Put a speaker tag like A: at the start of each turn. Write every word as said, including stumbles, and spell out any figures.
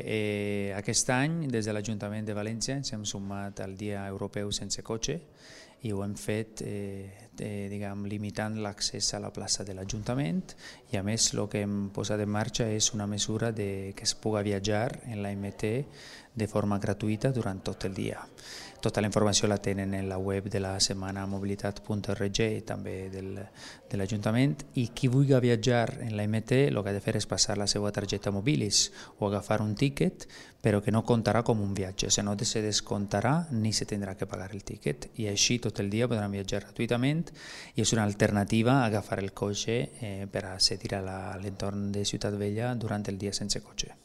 A: Eh, aquest any, des de l'Ajuntament de València, ens hem sumat al Dia Europeu Sense Cotxe i ho hem fet eh, eh, diguem, limitant l'accés a la plaça de l'Ajuntament i a més el que hem posat en marxa és una mesura de, que es pugui viatjar en la M T de forma gratuïta durant tot el dia. Tota la informació la tenen en la web de la setmana mobilitat punt org i també del, de l'Ajuntament, i qui vulgui viatjar en la M T el que ha de fer és passar la seva targeta Mobilis o agafar un tiquet, però que no comptarà com un viatge, o sigui, no se descomptarà ni se tindrà que pagar el tiquet, i així tot el dia podran viatjar gratuïtament i és una alternativa a agafar el cotxe eh, per accedir a l'entorn de Ciutat Vella durant el dia sense cotxe.